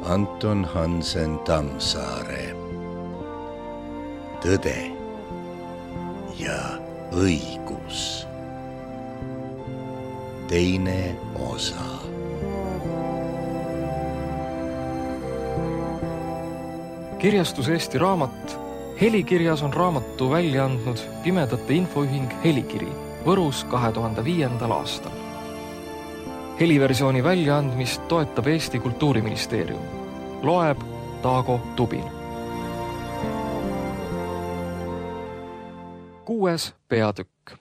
Anton Hansen Tammsaare. Tõde ja õigus. Teine osa. Kirjastus Eesti Raamat. Helikirjas on raamatu välja andnud Pimedate Infoühing Helikiri Võrus 2005. aastal. Heliversiooni väljaandmist toetab Eesti Kultuuriministeerium. Loeb Taago Tubin. 6. peatükk.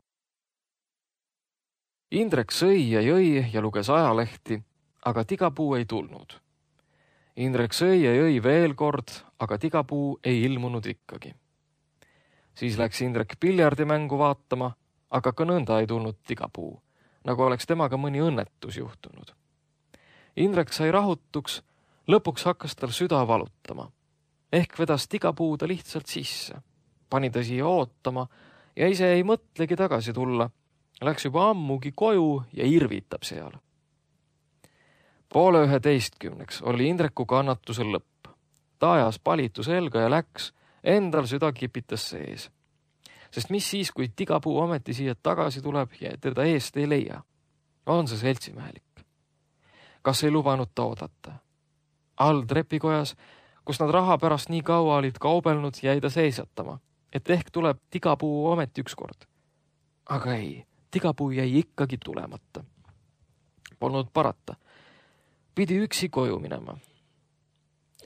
Indrek sõi ja jõi ja luges ajalehti, aga tigapuu ei tulnud. Indrek sõi ja jõi veel kord, aga tigapuu ei ilmunud ikkagi. Siis läks Indrek piljardimängu vaatama, aga ka nõnda ei tulnud tigapuu, nagu oleks temaga mõni õnnetus juhtunud. Indrek sai rahutuks, lõpuks hakkas tal süda valutama. Ehk vedas tigapuu ta lihtsalt sisse. Pani ta siia ootama ja ise ei mõtlegi tagasi tulla. Läks juba ammugi koju ja irvitab seal. 10:30 oli Indreku kannatusel lõpp. Ta ajas palitu selga ja läks, endal süda kipitas sees. Sest mis siis, kui tigapuu ometi siia tagasi tuleb ja teda eest ei leia? On see seltsimehelik? Kas ei lubanud ta oodata? All trepikojas, kus nad raha pärast nii kaua olid kaubelnud, jäi ta seisatama, et ehk tuleb tigapuu ometi ükskord. Aga ei, tigapuu jäi ikkagi tulemata. Polnud parata. Pidi üksi koju minema.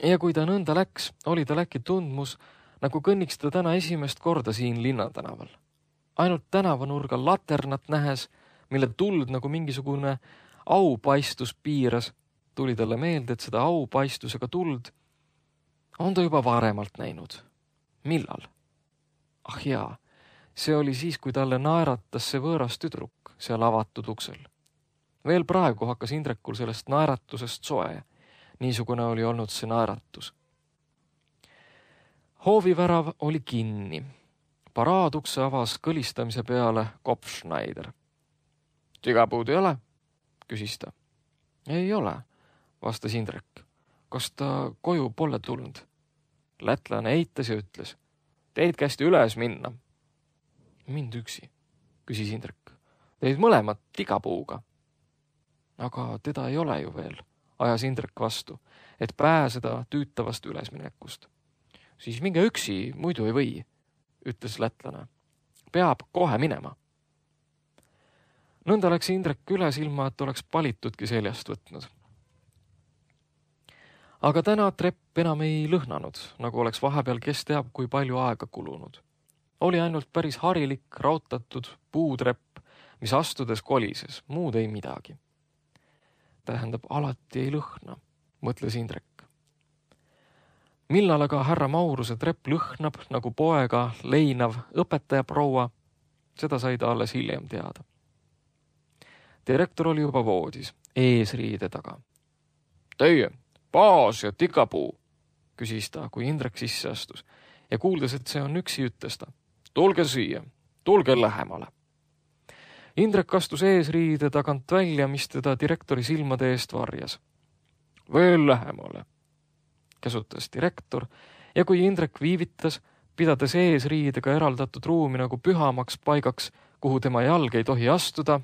Ja kui ta nõnda läks, oli ta äkki tundmus, nagu kõnniks ta täna esimest korda siin linnatänaval. Ainult tänavanurgal laternat nähes, mille tuld nagu mingisugune aupaistus piiras, tuli talle meelde, et seda aupaistusega tuld on ta juba varemalt näinud. Millal? Ah jaa, see oli siis, kui talle naeratas see võõras tüdruk seal avatud uksel. Veel praegu hakkas Indrekul sellest naeratusest soe. Niisugune oli olnud see naeratus. Hoovivärav oli kinni. Paraadukse avas kõlistamise peale Kopfschneider. Tigapuud ei ole? Küsis ta. Ei ole, vastas Indrek. Kas ta koju pole tulnud? Lätlane eitas ja ütles. Teid kästi üles minna. Mind üksi, küsis Indrek. Teid mõlemad tigapuuga. Aga teda ei ole ju veel, ajas Indrek vastu, et pääseda tüütavast ülesminekust. Siis minge üksi, muidu ei või, ütles lätlane. Peab kohe minema. Nõnda läks Indrek üles ilma, et oleks palitudki seljast võtnud. Aga täna trepp enam ei lõhnanud, nagu oleks vahepeal kes teab, kui palju aega kulunud. Oli ainult päris harilik, rautatud puutrepp, mis astudes kolises, muud ei midagi. Tähendab, alati ei lõhna, mõtles Indrek. Millal aga härra Mauruse trepp lõhnab nagu poega leinav õpetajaproua, seda sai ta alles hiljem teada. Direktor oli juba voodis, eesriide taga. Teie, baas ja tikapuu, küsis ta, kui Indrek sisse astus ja kuuldes, et see on üksi, ütles ta. Tulge siia, tulge lähemale. Indrek astus eesriide tagant välja, mis teda direktori silmade eest varjas. Veel lähemale, käsutas direktor, ja kui Indrek viivitas, pidades eesriidega eraldatud ruumi nagu pühamaks paigaks, kuhu tema jalg ei tohi astuda,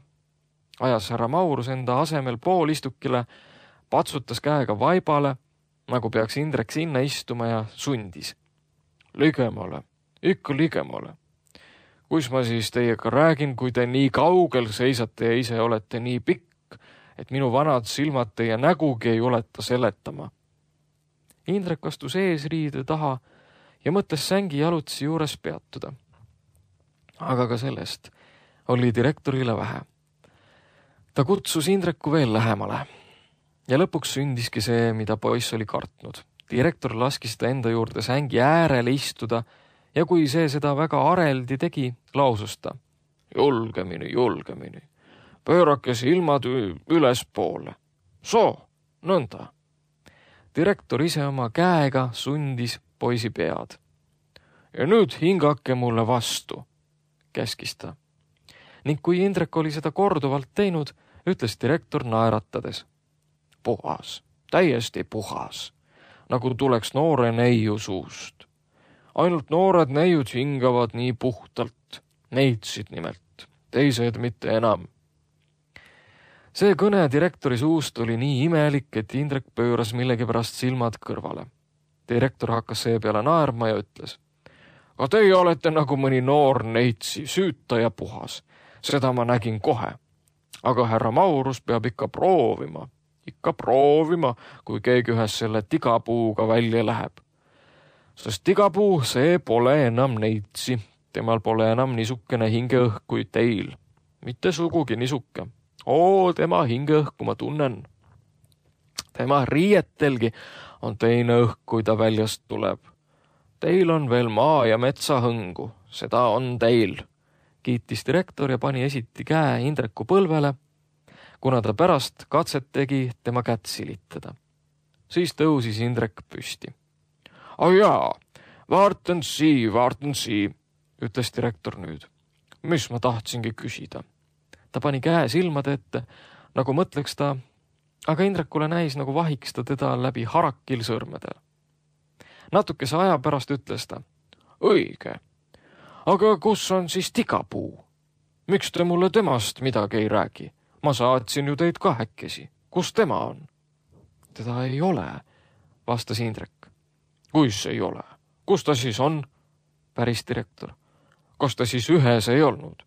ajas härra Maurus enda asemel poolistukile, patsutas käega vaibale, nagu peaks Indrek sinna istuma ja sundis. Ligemale, ikka ligemale. Kus ma siis teiega räägin, kui te nii kaugel seisate ja ise olete nii pikk, et minu vanad silmad teie nägugi ei uleta seletama. Indrek astus eesriide taha ja mõtles sängi jalutsi juures peatuda. Aga ka sellest oli direktorile vähe. Ta kutsus Indreku veel lähemale. Ja lõpuks sündiski see, mida poiss oli kartnud. Direktor laskis ta enda juurde sängi äärele istuda ja kui see seda väga areldi tegi, lausus ta. Julgemini, julgemini. Pöörake silmad ülespoole. Soo, nõnda. Direktor ise oma käega sundis poisi pead. Ja nüüd hingake mulle vastu, käskis ta. Ning kui Indrek oli seda korduvalt teinud, ütles direktor naeratades. Puhas, täiesti puhas. nagu tuleks noore neiu suust. Ainult noored neiud hingavad nii puhtalt, neitsid nimelt, teised mitte enam. See kõne direktori suust oli nii imelik, et Indrek pööras millegipärast silmad kõrvale. Direktor hakkas seepeale naerma ja ütles: "Aga teie olete nagu mõni noor neitsi, süüta ja puhas. Seda ma nägin kohe. Aga härra Maurus peab ikka proovima, kui keegi ühes selle tigapuuga välja läheb. Sest tigapuu, see pole enam neitsi. Temal pole enam niisukene hingeõhk kui teil. Mitte sugugi niisuke. Tema hingeõhku ma tunnen. Tema riietelgi on teine õhk, kui ta väljast tuleb. Teil on veel maa- ja metsahõngu, seda on teil," kiitis direktor ja pani esiti käe Indreku põlvele, kuna ta pärast katset tegi tema kätt silitada. Siis tõusis Indrek püsti. Jaa, vaartan sii, ütles direktor nüüd. Mis ma tahtsingi küsida? Ta pani käe silmade ette, nagu mõtleks ta, aga Indrekule näis, nagu vahiks ta teda läbi harakil sõrmedel. Natukese aja pärast ütles ta: "Õige. Aga kus on siis tigapuu? Miks te mulle temast midagi ei räägi? Ma saatsin ju teid kahekesi. Kus tema on?" "Teda ei ole," vastas Indrek. "Kuis ei ole? Kus ta siis on?" päris direktor. "Kas ta siis ühes ei olnud?"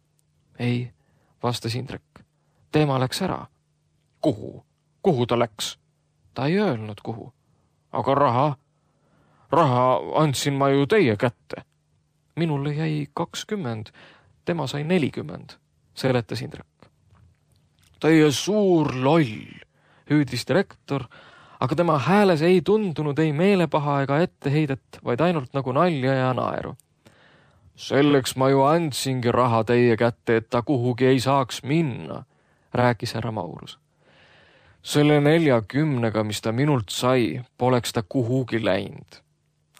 "Ei," vastas Indrek. "Tema läks ära." "Kuhu? Kuhu ta läks?" "Ta ei öelnud, kuhu." "Aga raha? Raha andsin ma ju teie kätte." "Minule jäi 20, tema sai 40, seletas Indrek. "Teie suur loll," hüüdis direktor, aga tema hääles ei tundunud ei meelepaha ega etteheidet, vaid ainult nagu nalja ja naeru. "Selleks ma ju andsingi raha teie kätte, et ta kuhugi ei saaks minna," rääkis härra Maurus. "Selle 40-ga, mis ta minult sai, poleks ta kuhugi läinud.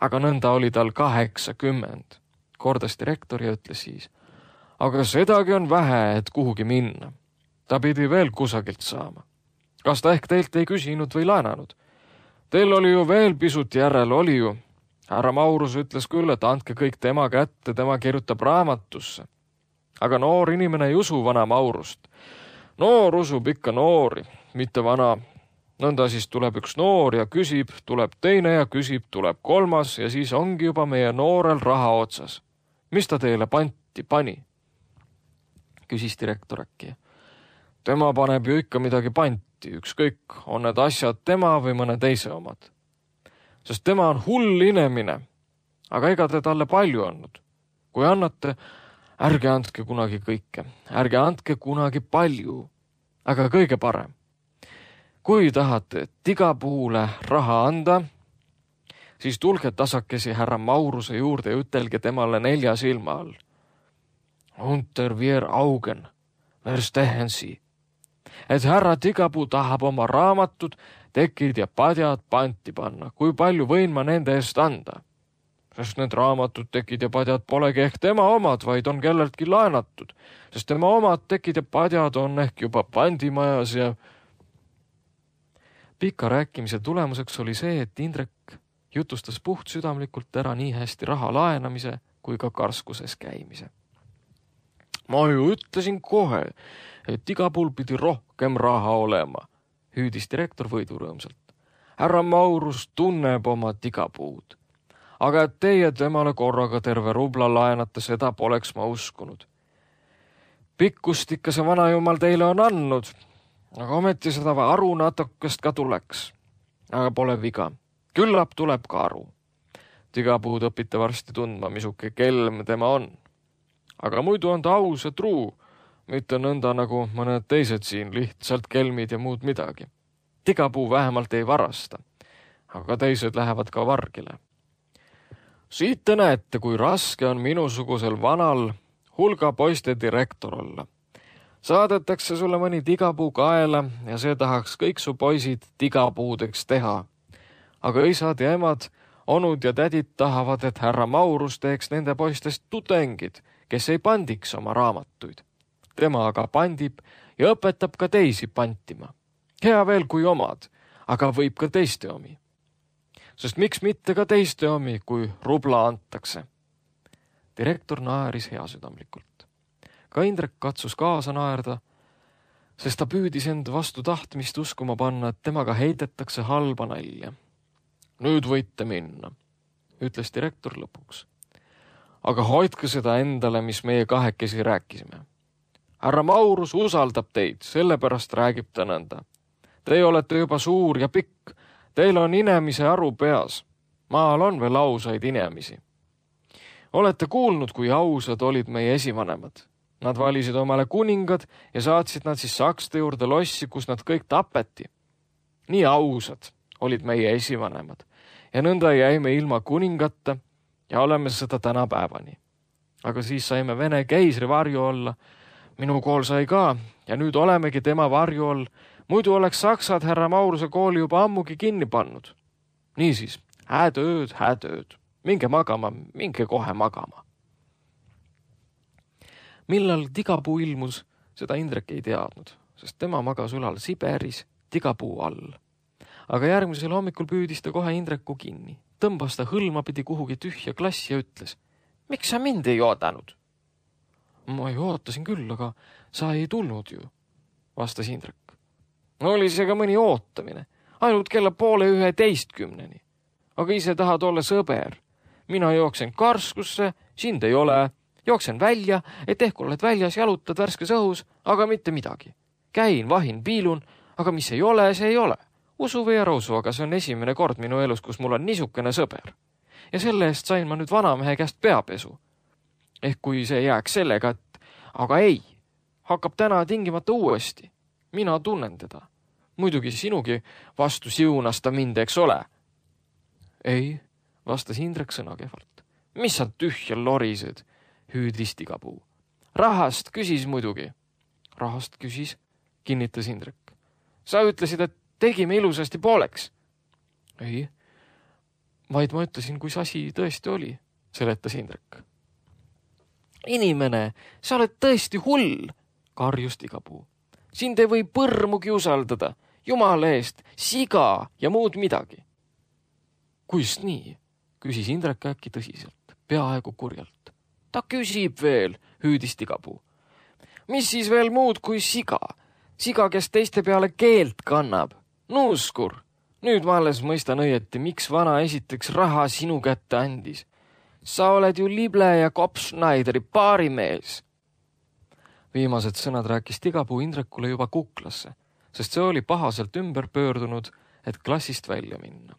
Aga nõnda oli tal 80, kordas direktor ja ütles siis. "Aga sedagi on vähe, et kuhugi minna. Ta pidi veel kusagilt saama. Kas ta ehk teilt ei küsinud või laenanud? Teil oli ju veel pisut järel, oli ju. Härra Maurus ütles küll, et andke kõik tema kätte, tema kirjutab raamatusse. Aga noor inimene ei usu vana Maurust. Noor usub ikka noori, mitte vana. Nõnda siis tuleb üks noor ja küsib, tuleb teine ja küsib, tuleb kolmas ja siis ongi juba meie noorel raha otsas. Mis ta teile panti pani?" küsis direktor äkki. "Tema paneb ju ikka midagi panti, ükskõik, on need asjad tema või mõne teise omad. Sest tema on hull inimene, aga ega te talle palju andnud. Kui annate, ärge andke kunagi kõike, ärge andke kunagi palju, aga kõige parem. Kui tahate tigapuule raha anda, siis tulge tasakesi härra Mauruse juurde ja ütelge temale 4 silma all. Unter vier Augen, verstehen Sie, et härra Tigapuu tahab oma raamatud, tekid ja padjad panti panna, kui palju võin ma nende eest anda. Sest need raamatud, tekid ja padjad polegi ehk tema omad, vaid on kelleltki laenatud, sest tema omad tekid ja padjad on ehk juba pandimajas ja..." Pika rääkimise tulemuseks oli see, et Indrek jutustas puhtsüdamlikult ära nii hästi raha laenamise kui ka karskuses käimise. "Ma ju ütlesin kohe, et iga puhul pidi rohkem raha olema," hüüdis direktor võidurõõmsalt. "Härra Maurus tunneb oma tigapuud. Aga et teie temale korraga terve rubla laenate, seda poleks ma uskunud. Pikkust ikka see vanajumal teile on andnud, aga ometi seda aru natukest ka tuleks. Aga pole viga, küllap tuleb ka aru. Tigapuud õpite varsti tundma, misuke kelm tema on. Aga muidu on ta aus ja truu, mitte nõnda nagu mõned teised siin, lihtsalt kelmid ja muud midagi. Tigapuu vähemalt ei varasta, aga teised lähevad ka vargile. Siit te näete, kui raske on minusugusel vanal hulga poiste direktor olla. Saadetakse sulle mõni tigapuu kaela ja see tahaks kõik su poisid tigapuudeks teha. Aga isad ja emad, onud ja tädid tahavad, et härra Maurus teeks nende poistest tudengid, kes ei pandiks oma raamatuid. Tema aga pandib ja õpetab ka teisi pantima. Hea veel kui omad, aga võib ka teiste omi. sest miks mitte ka teiste omi, kui rubla antakse. Direktor naeris heasüdamlikult. Ka Indrek katsus kaasa naerda, sest ta püüdis end vastu tahtmist uskuma panna, et temaga heidetakse halba nalja. Nüüd võite minna, ütles direktor lõpuks. Aga hoidke seda endale, mis meie kahekesi rääkisime. Härra Maurus usaldab teid, sellepärast räägib ta nõnda. Teie olete juba suur ja pikk, teil on inemise aru peas. Maal on veel ausaid inemisi. Olete kuulnud, kui ausad olid meie esivanemad. Nad valisid omale kuningad ja saatsid nad siis sakste juurde lossi, kus nad kõik tapeti. Nii ausad olid meie esivanemad ja nõnda jäime ilma kuningata ja oleme seda tänapäevani. Aga siis saime Vene keisri varju olla. Minu kool sai ka ja nüüd olemegi tema varju all. Muidu oleks saksad härra Mauruse kooli juba ammugi kinni pannud. Niisiis, hääd ööd. Minge magama, minge kohe magama. Millal Tigapuu ilmus, seda Indrek ei teadnud, sest tema magas ülal Siberis Tigapuu all. Aga järgmisel hommikul püüdis ta kohe Indreku kinni. Tõmbas ta hõlmapidi kuhugi tühja klassi ja ütles, miks sa mind ei oodanud? Ma ei ootasin küll, aga sa ei tulnud ju, vastas Indrek. Oli see ka mõni ootamine, ainult kella 10:30. Aga ise tahad olla sõber. Mina jooksen karskusse, sind ei ole. Jooksen välja, et ehk oled väljas, jalutad värskes õhus, aga mitte midagi. Käin, vahin, piilun, aga mis ei ole, see ei ole. Usu või ära usu, aga see on esimene kord minu elus, kus mul on niisugune sõber. Ja selle eest sain ma nüüd vanamehe käest peapesu. Ehk kui see jääks sellega, et aga ei, hakkab täna tingimata uuesti. Mina tunnen teda. Muidugi sinugi vastu siunas ta mind, eks ole. Ei, vastas Indrek sõnakehvalt. Mis sa tühja lorised, hüüdis Tigapuu. Rahast küsis muidugi. Rahast küsis, kinnitas Indrek. Sa ütlesid, et tegime ilusasti pooleks. Ei, vaid ma ütlesin, kui see asi tõesti oli, seletas Indrek. Inimene, sa oled tõesti hull, karjus Tigapuu. Sind ei või põrmugi usaldada, jumala eest, siga ja muud midagi. Kuist nii, küsis Indrek äkki tõsiselt, peaaegu kurjalt. Ta küsib veel, hüüdis Tigapuu. Mis siis veel muud kui siga? Siga, kes teiste peale keelt kannab. Nuuskur, nüüd ma alles mõistan õieti, miks vana esiteks raha sinu kätte andis. Sa oled ju Lible ja Kopschneideri paarimees. Viimased sõnad rääkis Tigapuu Indrekule juba kuklasse, sest see oli pahaselt ümber pöördunud, et klassist välja minna.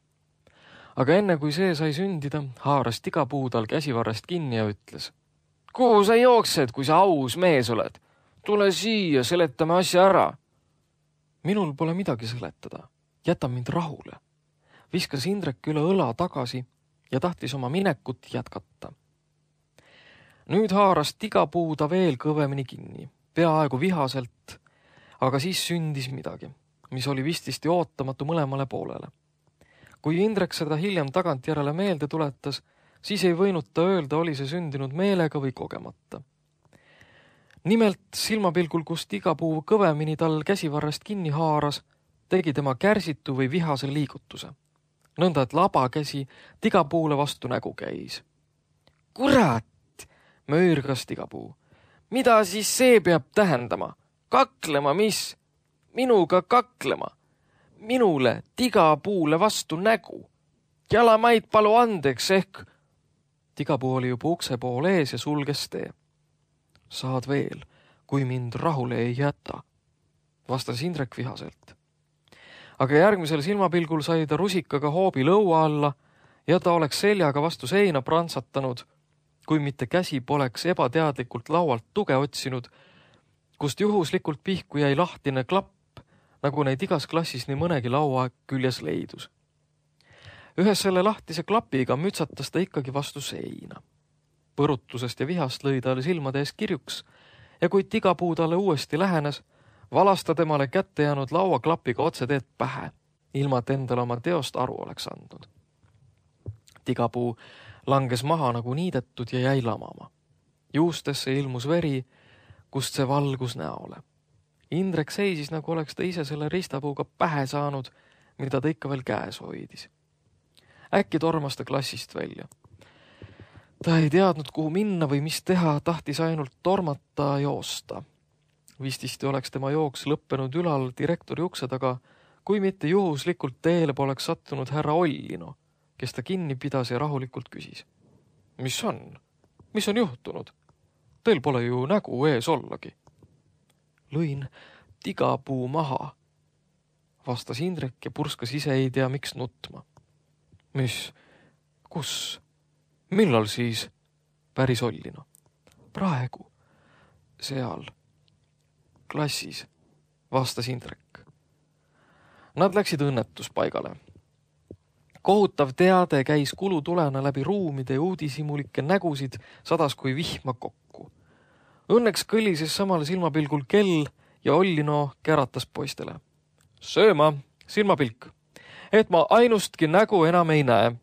Aga enne kui see sai sündida, haaras Tigapuu tal käsivarrest kinni ja ütles. Kuhu sa jooksed, kui sa aus mees oled? Tule siia, seletame asja ära. Minul pole midagi seletada. Jäta mind rahule. Viskas Indrek üle õla tagasi ja tahtis oma minekut jätkata. Nüüd haaras Tigapuu ta veel kõvemini kinni, peaaegu vihaselt, aga siis sündis midagi, mis oli vististi ootamatu mõlemale poolele. Kui Indrek seda hiljem tagantjärele meelde tuletas, siis ei võinud ta öelda, oli see sündinud meelega või kogemata. Nimelt silmapilgul, kus Tigapuu kõvemini tal käsivarrest kinni haaras, tegi tema kärsitu või vihase liigutuse. Nõnda, et laba käsi Tigapuule vastu nägu käis. Kurat, möörgas Tigapuu. Mida siis see peab tähendama? Kaklema, mis? Minuga kaklema. Minule Tigapuule vastu nägu. Jalamaid palu andeks ehk. Tigapuu oli juba ukse pool ees ja sulges tee. Saad veel, kui mind rahule ei jäta, vastas Indrek vihaselt. Aga järgmisel silmapilgul sai ta rusikaga hoobi lõua alla ja ta oleks seljaga vastu seina prantsatanud, kui mitte käsi poleks ebateadlikult laualt tuge otsinud, kust juhuslikult pihku jäi lahtine klapp, nagu neid igas klassis nii mõnegi laua küljes leidus. Ühes selle lahtise klapiga mütsatas ta ikkagi vastu seina. Põrutusest ja vihast lõi talle silmade ees kirjuks ja kui Tigapuu talle uuesti lähenes, valas ta temale kätte jäänud lauaklapiga otse teed pähe, ilma et endale oma teost aru oleks andnud. Tigapuu langes maha nagu niidetud ja jäi lamama. Juustesse ilmus veri, kust see valgus näole. Indrek seisis, nagu oleks ta ise selle ristapuuga pähe saanud, mida ta ikka veel käes hoidis. äkki tormas ta klassist välja. Ta ei teadnud, kuhu minna või mis teha, tahtis ainult tormata joosta. Vististi oleks tema jooks lõppenud ülal direktori ukse taga, kui mitte juhuslikult teele poleks sattunud härra Ollino, kes ta kinni pidas ja rahulikult küsis. Mis on? Mis on juhtunud? Teil pole ju nägu ees ollagi. Lõin tigapuu maha, vastas Indrek ja purskas ise ei tea miks nutma. Mis? Kus? Millal siis? Päris Ollino. Praegu. Seal. Klassis, vastas Indrek. Nad läksid õnnetuspaigale. Kohutav teade käis kulutulena läbi ruumide ja uudishimulikke nägusid sadas kui vihma kokku. Õnneks kõlises samal silmapilgul kell ja Ollino käratas poistele. Sööma, silmapilk, et ma ainustki nägu enam ei näe.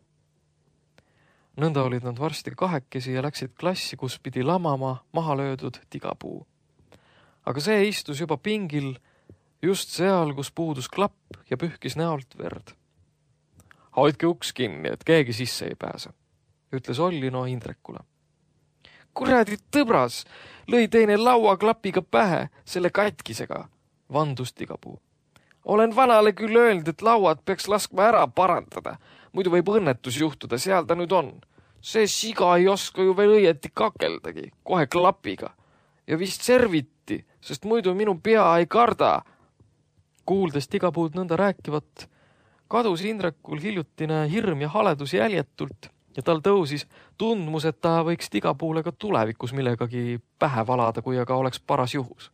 Nõnda olid nad varsti kahekesi ja läksid klassi, kus pidi lamama maha löödud tigapuu. Aga see istus juba pingil just seal, kus puudus klapp ja pühkis näolt verd. Hoidke uks kinni, et keegi sisse ei pääse, ütles Ollino Indrekule. Kuradi tõbras, lõi teine lauaklapiga pähe selle katkisega, vandus tigapuu. Olen vanale küll öelnud, et lauad peaks laskma ära parandada, muidu võib õnnetus juhtuda, seal ta nüüd on. See siga ei oska ju veel õieti kakeldagi, kohe klapiga. Ja vist serviti, sest muidu minu pea ei karda. Kuuldes tigapuud nõnda rääkivat, kadus Indrekul hiljutine hirm ja haledus jäljetult ja tal tõusis tundmus, et ta võiks tigapuule ka tulevikus millegagi pähe valada, kui aga oleks paras juhus.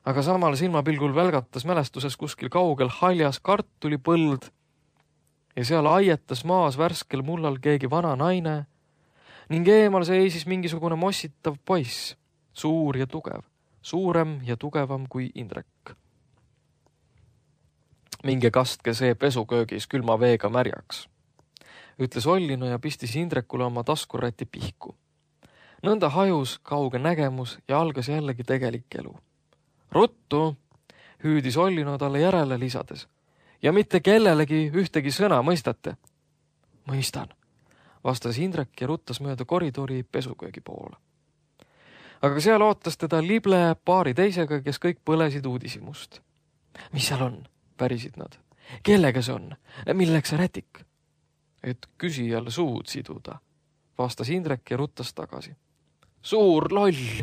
Aga samal silmapilgul välgatas mälestuses kuskil kaugel haljas kartulipõld ja seal aietas maas värskel mullal keegi vana naine ning eemal seisis mingisugune mossitav poiss, suur ja tugev, suurem ja tugevam kui Indrek. Minge kastke see pesuköögis külma veega märjaks, ütles Ollino ja pistis Indrekule oma taskuräti pihku. Nõnda hajus kauge nägemus ja algas jällegi tegelik elu. Ruttu, hüüdis Ollino talle järele lisades. Ja mitte kellelegi ühtegi sõna, mõistate? Mõistan, vastas Indrek ja ruttas mööda koridori pesuköögi poole. Aga seal ootas teda lible paari teisega, kes kõik põlesid uudishimust. Mis seal on? Pärisid nad. Kellega see on? Milleks see rätik? Et küsijal suud siduda, vastas Indrek ja ruttas tagasi. Suur loll,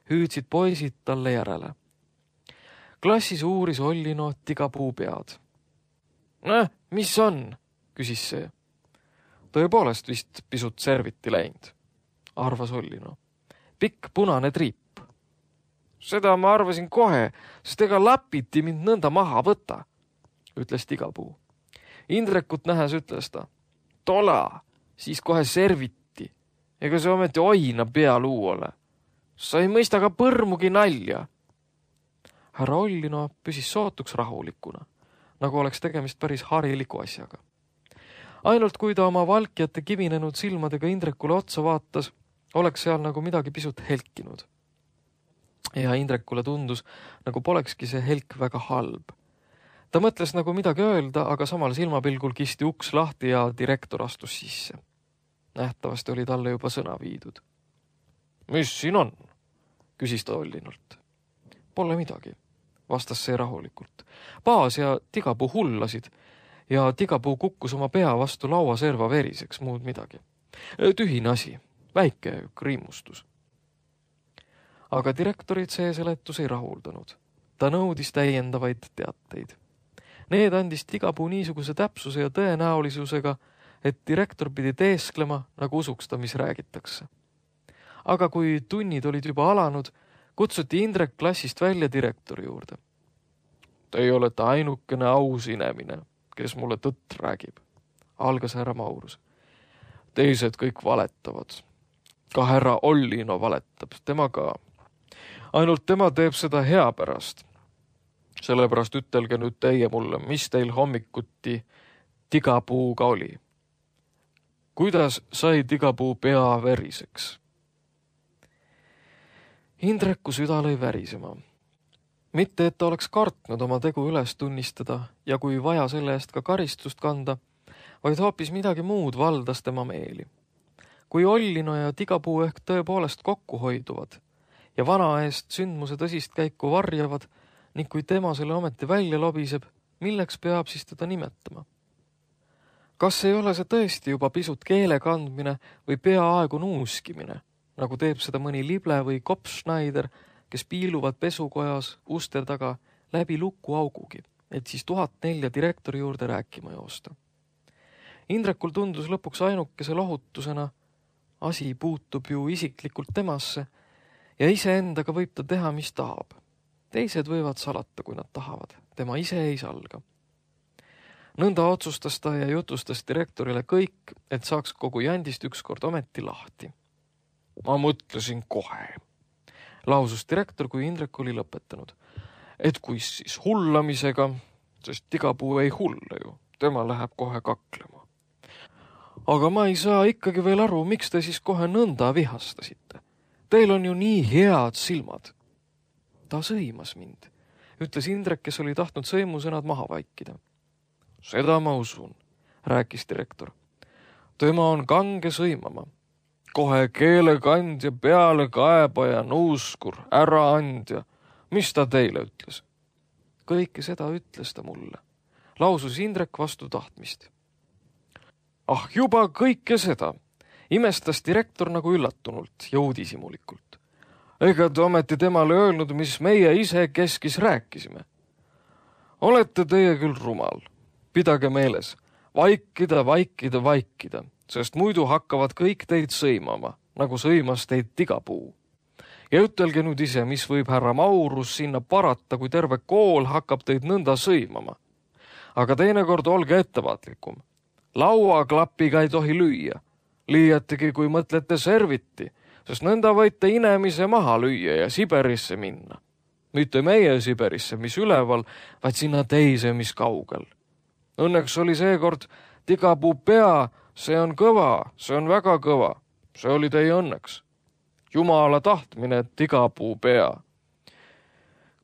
hüüdsid poisid talle järele. Klassis uuris Ollino tigapuu pead. Mis on? Küsis see. Tõepoolest vist pisut serviti läinud, arvas Ollino. Pikk punane triip. Seda ma arvasin kohe, sest ega lapiti mind nõnda maha võtta, ütles tigapuu. Indrekut nähes ütles ta. Tola, siis kohe serviti. Ega see ometi oina pealuu ole. Sa ei mõista ka põrmugi nalja. Härra Ollino püsis sootuks rahulikuna, nagu oleks tegemist päris hariliku asjaga. Ainult kui ta oma valkjate kivinenud silmadega Indrekule otsa vaatas, oleks seal nagu midagi pisut helkinud. Ja Indrekule tundus, nagu polekski see helk väga halb. Ta mõtles nagu midagi öelda, aga samal silmapilgul kisti uks lahti ja direktor astus sisse. Nähtavasti oli talle juba sõna viidud. Mis siin on? Küsis ta Ollinult. Pole midagi, vastas see rahulikult. Paas ja tigapuu hullasid ja tigapuu kukkus oma pea vastu lauaserva veriseks, muud midagi. Tühine asi, väike kriimustus. Aga direktorit see seletus ei rahuldanud. Ta nõudis täiendavaid teateid. Need andis tigapuu niisuguse täpsuse ja tõenäolisusega, et direktor pidi teesklema, nagu usuks ta, mis räägitakse. Aga kui tunnid olid juba alanud, kutsuti Indrek klassist välja direktori juurde. Teie olete ainukene aus inemine, kes mulle tõtt räägib, algas härra Maurus. Teised kõik valetavad. Ka härra Ollino valetab, tema ka. Ainult tema teeb seda hea pärast. Sellepärast ütelge nüüd teie mulle, mis teil hommikuti tigapuuga oli. Kuidas sai tigapuu pea veriseks? Indreku süda lõi värisema. Mitte, et ta oleks kartnud oma tegu üles tunnistada ja kui vaja selle eest ka karistust kanda, vaid hoopis midagi muud valdas tema meeli. Kui Ollino ja Tigapuu ehk tõepoolest kokku hoiduvad ja vana eest sündmuse tõsist käiku varjavad ning kui tema selle ometi välja lobiseb, milleks peab siis teda nimetama? Kas ei ole see tõesti juba pisut keele kandmine või peaaegu nuuskimine, nagu teeb seda mõni Lible või Kopfschneider, kes piiluvad pesukojas uste taga läbi lukuaugugi, et siis 1004 direktori juurde rääkima joosta? Indrekul tundus lõpuks ainukese lohutusena, asi puutub ju isiklikult temasse ja iseendaga võib ta teha, mis tahab. Teised võivad salata, kui nad tahavad. Tema ise ei salga. Nõnda otsustas ta ja jutustas direktorile kõik, et saaks kogu jandist ükskord ometi lahti. Ma mõtlesin kohe, lausus direktor, kui Indrek oli lõpetanud, et kui siis hullamisega, sest Tigapuu ei hulle ju, tema läheb kohe kaklema. Aga ma ei saa ikkagi veel aru, miks te siis kohe nõnda vihastasite. Teil on ju nii head silmad. Ta sõimas mind, ütles Indrek, kes oli tahtnud sõimusõnad maha vaikida. Seda ma usun, rääkis direktor. Tema on kange sõimama. Kohe keelekandja, pealekaebaja, nuuskur, äraandja. Mis ta teile ütles? Kõike seda ütles ta mulle, lausus Indrek vastu tahtmist. Ah, juba kõike seda, imestas direktor nagu üllatunult ja uudisimulikult. Ega te ometi temale öelnud, mis meie ise keskis rääkisime. Olete teie küll rumal. Pidage meeles, vaikida, vaikida, vaikida, sest muidu hakkavad kõik teid sõimama, nagu sõimas teid Tigapuu. Ja ütelge nüüd ise, mis võib härra Maurus sinna parata, kui terve kool hakkab teid nõnda sõimama. Aga teinekord olge ettevaatlikum. Lauaklapiga ei tohi lüüa, liiatigi kui mõtlete serviti, sest nõnda võite inemise maha lüüa ja Siberisse minna. Mitte meie Siberisse, mis üleval, vaid sinna teise, mis kaugel. Õnneks oli seekord Tigapuu pea, see on kõva, see on väga kõva, see oli teie õnneks. Jumala tahtmine Tigapuu pea.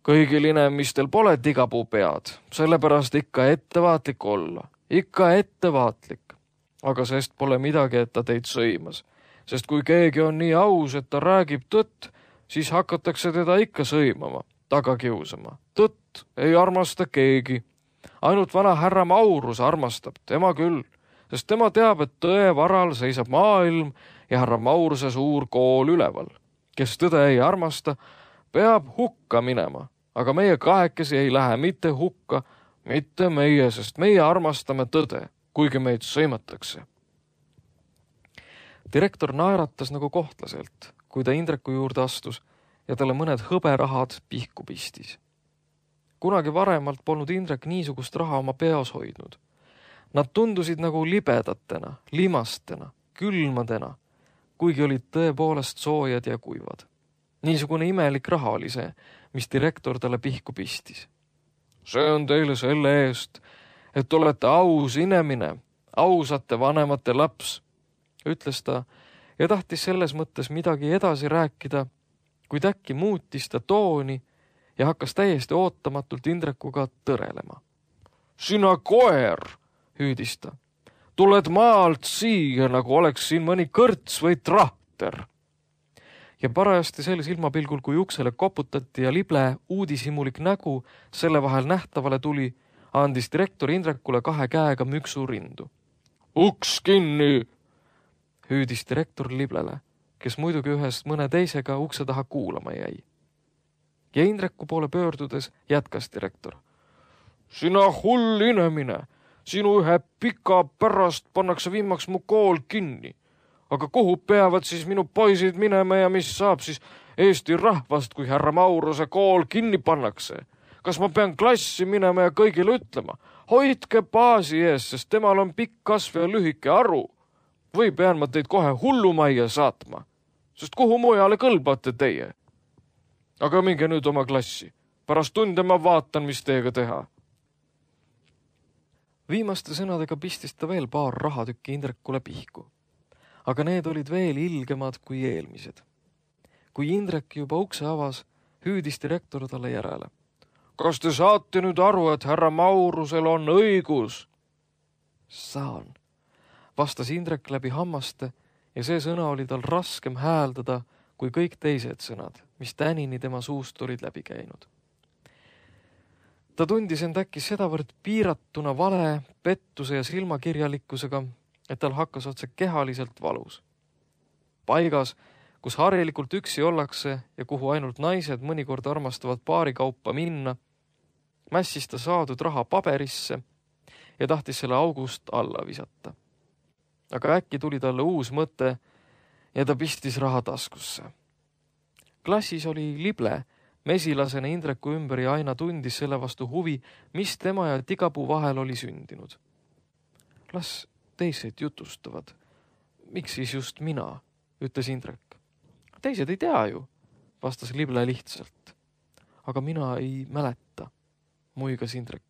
Kõigil inemistel pole Tigapuu pead, sellepärast ikka ettevaatlik olla. Ikka ettevaatlik, aga sest pole midagi, et ta teid sõimas, sest kui keegi on nii aus, et ta räägib tõtt, siis hakatakse teda ikka sõimama, taga kiusama. Tõtt ei armasta keegi, ainult vana härra Maurus armastab, tema küll, sest tema teab, et tõe varal seisab maailm ja härra Mauruse suur kool üleval. Kes tõde ei armasta, peab hukka minema, aga meie kahekesi ei lähe mitte hukka, mitte meie, sest meie armastame tõde, kuigi meid sõimatakse. Direktor naeratas nagu kohtlaselt, kui ta Indreku juurde astus ja talle mõned hõberahad pihku pistis. Kunagi varemalt polnud Indrek niisugust raha oma peos hoidnud. Nad tundusid nagu libedatena, limastena, külmadena, kuigi olid tõepoolest soojad ja kuivad. Niisugune imelik raha oli see, mis direktor talle pihku pistis. See on teile selle eest, et olete aus inemine, ausate vanemate laps, ütles ta ja tahtis selles mõttes midagi edasi rääkida, kuid äkki muutis ta tooni ja hakkas täiesti ootamatult Indrekuga tõrelema. Sina koer, hüüdis ta, tuled maalt siia, nagu oleks siin mõni kõrts või trahter. Ja parajasti sel silmapilgul, kui uksele koputati ja Lible uudishimulik nägu selle vahel nähtavale tuli, andis direktor Indrekule 2 käega müksu rindu. Uks kinni, hüüdis direktor Liblele, kes muidugi ühest mõne teisega ukse taha kuulama jäi. Ja Indreku poole pöördudes jätkas direktor. Sina hull inemine, sinu ühe pika pärast pannakse viimaks mu kool kinni. Aga kuhu peavad siis minu poisid minema ja mis saab siis Eesti rahvast, kui härra Mauruse kool kinni pannakse? Kas ma pean klassi minema ja kõigile ütlema? Hoidke baasi ees, sest temal on pikk kasv ja lühike aru. Või pean ma teid kohe hullumajja saatma? Sest kuhu mujale kõlbate teie? Aga minge nüüd oma klassi. Pärast tunde ma vaatan, mis teiega teha. Viimaste sõnadega pistis ta veel paar rahatükki Indrekule pihku. Aga need olid veel ilgemad kui eelmised. Kui Indrek juba ukse avas, hüüdis direktor talle järele. Kas te saate nüüd aru, et härra Maurusel on õigus? Saan, vastas Indrek läbi hammaste ja see sõna oli tal raskem hääldada kui kõik teised sõnad, mis tänini tema suust olid läbi käinud. Ta tundis end äkki sedavõrd piiratuna vale, pettuse ja silmakirjalikkusega, et tal hakkas otse kehaliselt valus. Paigas, kus harilikult üksi ollakse ja kuhu ainult naised mõnikord armastavad paarikaupa minna, mässis ta saadud raha paberisse ja tahtis selle august alla visata. Aga äkki tuli talle uus mõte ja ta pistis raha taskusse. Klassis oli Lible, mesilasena Indreku ümber ja aina tundis selle vastu huvi, mis tema ja Tigapuu vahel oli sündinud. Las teised jutustavad. Miks siis just mina, ütles Indrek. Teised ei tea ju, vastas Lible lihtsalt. Aga mina ei mäleta, muigas Indrek.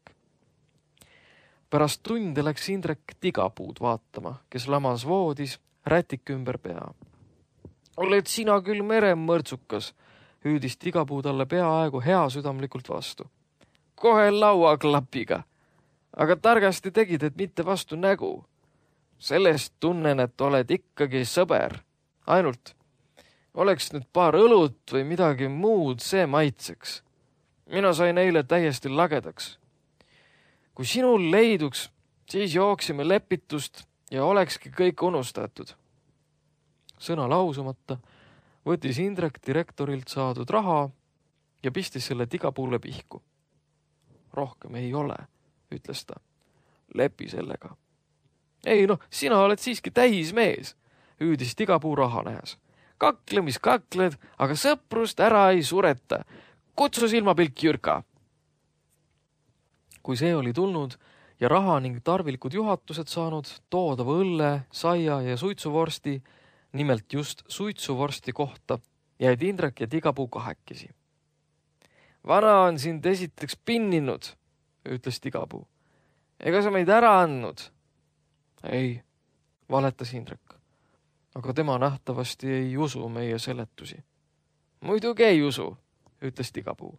Pärast tunde läks Indrek Tigapuud vaatama, kes lamas voodis, rätik ümber pea. Oled sina küll meremõrtsukas, hüüdis Tigapuu talle peaaegu heasüdamlikult vastu. Kohe lauaklapiga, aga targasti tegid, et mitte vastu nägu. Sellest tunnen, et oled ikkagi sõber. Ainult oleks nüüd paar õlut või midagi muud, see maitseks. Mina sain eile täiesti lagedaks. Kui sinul leiduks, siis jooksime lepitust ja olekski kõik unustatud. Sõna lausumata võttis Indrek direktorilt saadud raha ja pistis selle Tigapuule pihku. Rohkem ei ole, ütles ta. Lepi sellega. Ei sina oled siiski täis mees, hüüdis Tigapuu raha nähes. Kakle, mis kakled, aga sõprust ära ei sureta. Kutsu silmapilk Jürka. Kui see oli tulnud ja raha ning tarvilikud juhatused saanud, toodava õlle, saia ja suitsuvorsti, nimelt just suitsuvorsti kohta, jäid Indrek ja Tigapuu kahekesi. Vana on sind esiteks pinninud, ütles Tigapuu. Ega sa meid ära andnud? Ei, valetas Indrek. Aga tema nähtavasti ei usu meie seletusi. Muidugi ei usu, ütles Tigapuu.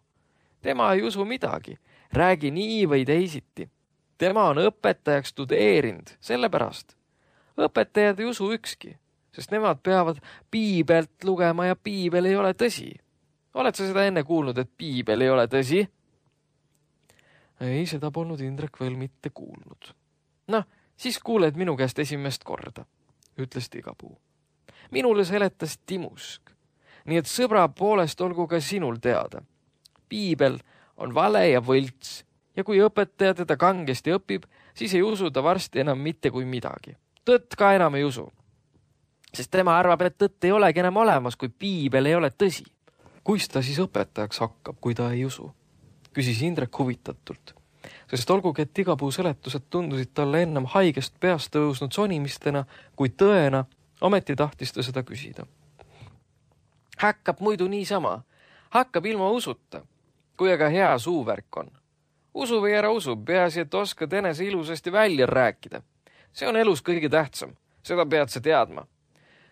Tema ei usu midagi, räägi nii või teisiti. Tema on õpetajaks tudeerinud, sellepärast. Õpetajad ei usu ükski, sest nemad peavad piibelt lugema ja piibel ei ole tõsi. Oled sa seda enne kuulnud, et piibel ei ole tõsi? Ei, seda polnud Indrek veel mitte kuulnud. Siis kuuled minu käest esimest korda, ütles Tigapuu. Minule seletas Timusk, nii et sõbra poolest olgu ka sinul teada. Piibel on vale ja võlts ja kui õpetaja teda kangesti õpib, siis ei usu ta varsti enam mitte kui midagi. Tõtt ka enam ei usu, sest tema arvab, et tõtt ei olegi enam olemas, kui piibel ei ole tõsi. Kuis ta siis õpetajaks hakkab, kui ta ei usu? Küsis Indrek huvitatult. Sest olgugi, et Tigapuu seletused tundusid talle ennem haigest peast tõusnud sonimistena kui tõena, ometi tahtis ta seda küsida. Hakkab muidu niisama. Hakkab ilma usuta, kui aga hea suuvärk on. Usu või ära usu, peaasi, et oskad enese ilusasti välja rääkida. See on elus kõige tähtsam. Seda pead sa teadma.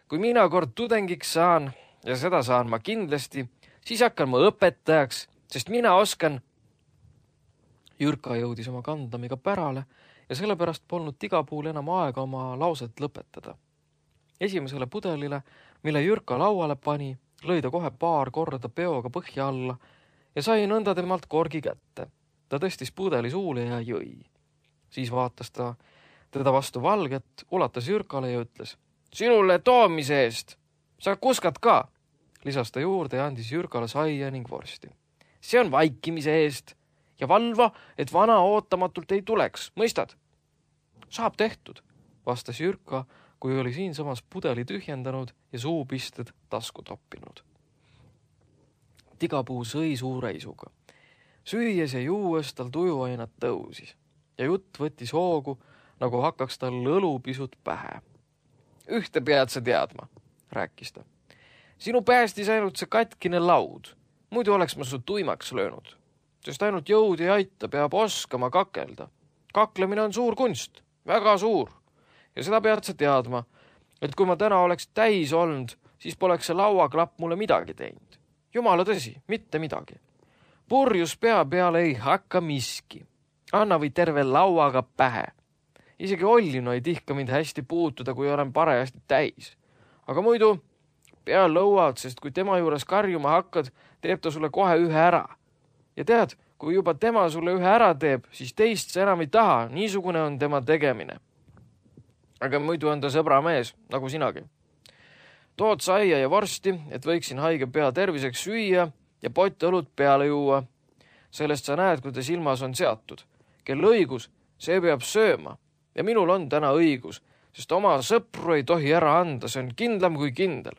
Kui mina kord tudengiks saan, ja seda saan ma kindlasti, siis hakkan ma õpetajaks, sest mina oskan. Jürka jõudis oma kandamiga pärale ja sellepärast polnud Tigapuul enam aega oma lauset lõpetada. Esimesele pudelile, mille Jürka lauale pani, lõi ta kohe paar korda peoga põhja alla ja sai nõnda temalt korgi kätte. Ta tõstis pudeli suule ja jõi. Siis vaatas ta teda vastu valget, ulatas Jürkale ja ütles, sinule toomise eest, sa kuskad ka, lisas ta juurde ja andis Jürkale saia ning vorsti. See on vaikimise eest ja valva, et vana ootamatult ei tuleks, mõistad? Saab tehtud, vastas Jürka, kui oli siinsamas pudeli tühjendanud ja suupisted tasku toppinud. Tigapuu sõi suure isuga. Süües ja juues tal tujuainad tõusis ja jutt võttis hoogu, nagu hakkaks tal õlu pisut pähe. Ühte pead sa teadma, rääkis ta. Sinu päästis ainult see katkine laud, muidu oleks ma su tuimaks löönud. Sest ainult jõud ei aita, peab oskama kakelda. Kaklemine on suur kunst, väga suur. Ja seda pead sa teadma, et kui ma täna oleks täis olnud, siis poleks see lauaklapp mulle midagi teinud. Jumala tõsi, mitte midagi. Purjus pea peale ei hakka miski. Anna või terve lauaga pähe. Isegi Ollino ei tihka mind hästi puutuda, kui olen parajasti täis. Aga muidu pea lõuad, sest kui tema juures karjuma hakkad, teeb ta sulle kohe ühe ära. Ja tead, kui juba tema sulle ühe ära teeb, siis teist sa enam ei taha, niisugune on tema tegemine. Aga muidu on ta sõbramees, nagu sinagi. Tood saia ja vorsti, et võiksin haige pea terviseks süüa ja pott õlut peale juua. Sellest sa näed, kuidas ilmas on seatud. Kel õigus, see peab sööma. Ja minul on täna õigus, sest oma sõpru ei tohi ära anda, see on kindlam kui kindel.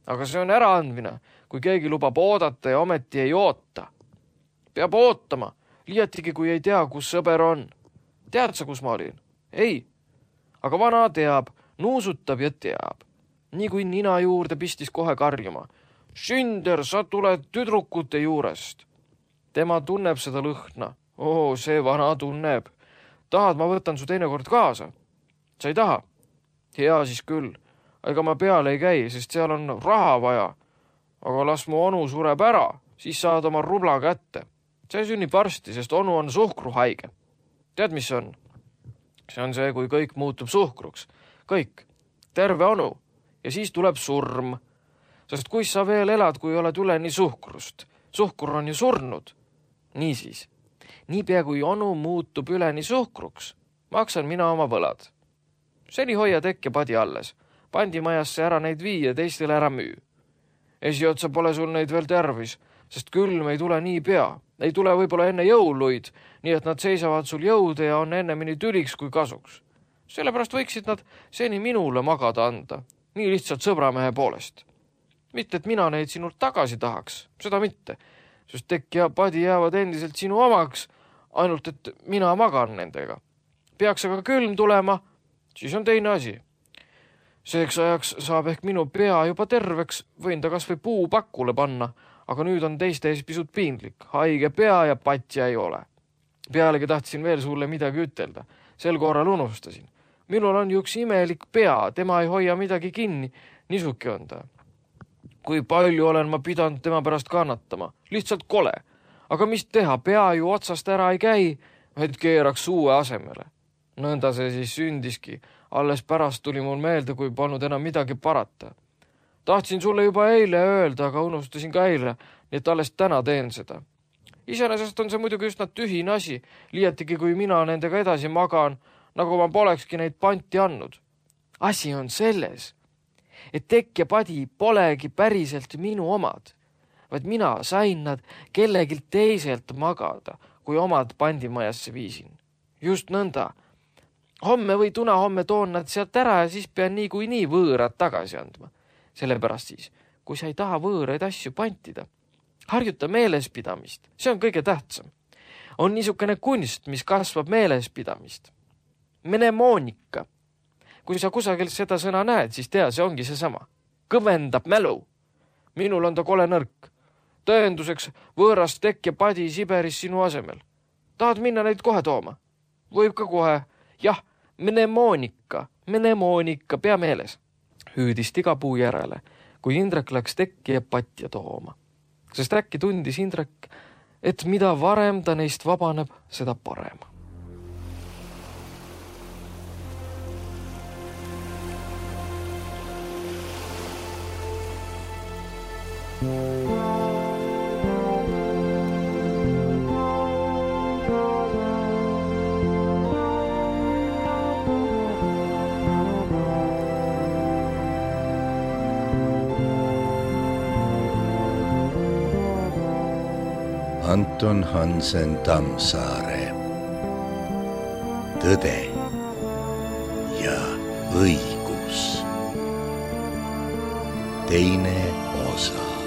Aga see on äraandmine, kui keegi lubab oodata ja ometi ei oota. Peab ootama, liiatigi kui ei tea, kus sõber on. Tead sa, kus ma olin? Ei. Aga vana teab, nuusutab ja teab. Nii kui nina juurde pistis kohe karjuma. Sünder, sa tuled tüdrukute juurest. Tema tunneb seda lõhna. See vana tunneb. Tahad, ma võtan su teinekord kaasa? Sa ei taha? Hea siis küll. Ega ma peale ei käi, sest seal on raha vaja. Aga las mu onu sureb ära, siis saad oma rubla kätte. See sünnib varsti, sest onu on suhkruhaige. Tead, mis see on? See on see, kui kõik muutub suhkruks. Kõik. Terve onu. Ja siis tuleb surm. Sest kus sa veel elad, kui oled üleni suhkrust? Suhkur on ju surnud. Niisiis. Niipea kui onu muutub üleni suhkruks, maksan mina oma võlad. Seni hoia tekke padi alles. Pandimajasse ära neid vii ja teistele ära müü. Esiotsa pole sul neid veel tervis, sest külm ei tule nii pea. Ei tule võib-olla enne jõuluid, nii et nad seisavad sul jõude ja on ennemini tüliks kui kasuks. Sellepärast võiksid nad seni minule magada anda, nii lihtsalt sõbramehe poolest. Mitte, et mina neid sinult tagasi tahaks, seda mitte, sest tekk ja padi jäävad endiselt sinu omaks, ainult et mina magan nendega. Peaks aga külm tulema, siis on teine asi. Seeks ajaks saab ehk minu pea juba terveks, võin ta kas või puu pakule panna, aga nüüd on teiste ees pisut piinlik. Haige pea ja patja ei ole. Pealegi tahtsin veel sulle midagi ütelda. Sel korral unustasin. Minul on ju üks imelik pea, tema ei hoia midagi kinni. Niisuke on ta. Kui palju olen ma pidanud tema pärast kannatama. Lihtsalt kole. Aga mis teha, pea ju otsast ära ei käi, et keeraks uue asemele. Nõnda see siis sündiski. Alles pärast tuli mul meelde, kui polnud enam midagi parata. Tahtsin sulle juba eile öelda, aga unustasin ka eile, nii et alles täna teen seda. Iseenesest on see muidugi üsna tühine asi, liiatigi kui mina nendega edasi magan, nagu ma polekski neid panti andnud. Asi on selles, et tekk ja padi polegi päriselt minu omad, vaid mina sain nad kellelgi teiselt magada, kui omad pandimajasse viisin. Just nõnda. Homme või tunahomme toon nad sealt ära ja siis pean nii võõrad tagasi andma. Sellepärast siis, kui sa ei taha võõraid asju pantida, harjuta meelespidamist. See on kõige tähtsam. On niisugune kunst, mis kasvab meelespidamist. Mnemoonika. Kui sa kusagil seda sõna näed, siis tea, see ongi seesama. Kõvendab mälu. Minul on ta kole nõrk. Tõenduseks võõrast tekk ja padi Siberis sinu asemel. Tahad minna neid kohe tooma? Võib ka kohe. Jah, mnemoonika, pea meeles. Hüüdis Tigapuu järele, kui Indrek läks tekki ja patja tooma. Sest äkki tundis Indrek, et mida varem ta neist vabaneb, seda parem. Anton Hansen Tammsaare. Tõde ja õigus. Teine osa.